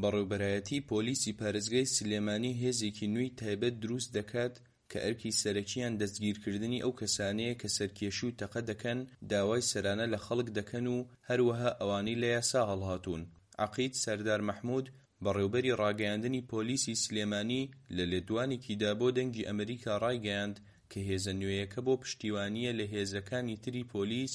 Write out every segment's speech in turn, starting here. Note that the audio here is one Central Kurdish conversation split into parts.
بەڕێوبەرایەتی پۆلیسی پارێزگای سلێمانی هێزێکی نوێی تایبەت دروست دەکات کە ئەرکی سەرەکییان دەستگیرکردنی ئەو کەسانەیە کە سەرکێشی و تەقە دەکەن، داوای سەرانە لە خەڵک دەکەن و هەروەها ئەوانەی لە یاسا هەڵهاتوون. عەقید سەردار مەحمود، بەڕێوبەری ڕاگەیاندنی پۆلیسی سلێمانی لە لێدوانێکیدا بۆ دەنگی ئەمریکا ڕایگەیاند کە هێزە نوێیەکە بۆ پشتیوانییە لە هێزەکانی تری پۆلیس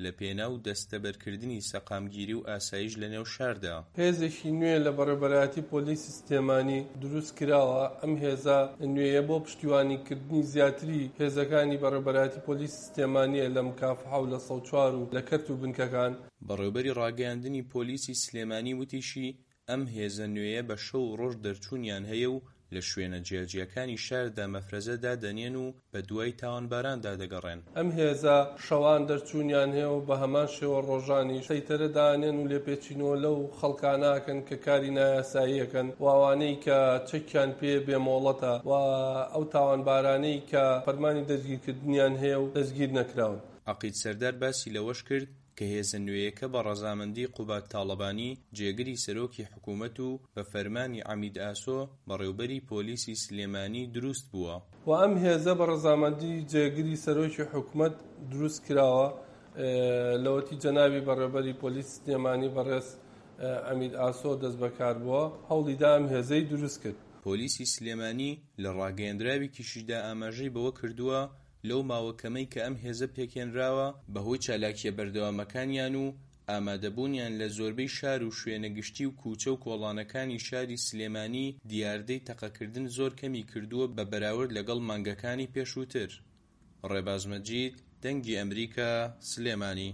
لە پێناو دەستەبەرکردنی سەقامگیری و ئاسایش لە نێو شاردا. هێزێکی نوێ لە بەڕێوبەرایەتی پۆلیسی سلێمانی دروست کراوە، ئەم هێزە نوێیە بۆ پشتیوانیکردنی زیاتری هێزەکانی بەڕێوبەرایەتی پۆلیسی سلێمانییە لە مکافحە و لە 104 و لە کەرت و بنکەکان. بەڕێوبەری ڕاگەیاندنی پۆلیسی سلێمانی وتیشی، ئەم هێزە نوێیە بە شەو و ڕۆژ دەرچوونیان هەیە و لە شوێنە جیاجیاکانی شاردا مەفرەزە دادەنێن و بە دوای تاوانباراندا دەگەڕێن. ئەم هێزە شەوان دەرچوونیان هەیە و بە هەمان شێوە ڕۆژانیش سەیتەرە دانێن و لێپێچینەوە لەو خەڵکانە ئەکەن کە کاری نایاسایی ئەکەن و ئەوانەی کە چەکیان پێ بێ مۆڵەتە و ئەو تاوانبارانەی کە فەرمانی دەستگیرکردنیان هەیە و دەستگیر نەکراون. عەقید سەردار باسی لەوەش کرد، کە هێزە نوێیەکە بە ڕەزامەندی قوباد تاڵەبانی، جێگری سەرۆکی حکوومەت و بە فەرمانی عەمید ئاسۆ، بەڕێوبەری پۆلیسی سلێمانی دروست بووە. و ئەم هێزە بە ڕەزامەندی جێگری سەرۆکی حکومەت دروست کراوە، لەوەتی جەنابی بەڕێوبەری پۆلیسی سلێمانی بەڕێز عەمید ئاسۆ دەستبەکار بووە، هەوڵی دا ئەم هێزەی دروست کرد. پۆلیسی سلێمانی لە ڕاگەیەندراوێکیشیدا ئاماژەی بەوە کردووە، لەو ماوە کەمەی کە ئەم هێزە پێکهێنراوە، بەهۆی چالاکییە بەردەوامەکانیان و ئامادەبوونیان لە زۆربەی شار و شوێنە گشتی و کوچە و کۆڵانەکانی شاری سلێمانی دیاردەی تەقەکردن زۆر کەمی کردووە بە بەراورد لەگەڵ مانگەکانی پێشووتر. ڕێباز مەجید، دەنگی ئەمریکا، سلێمانی.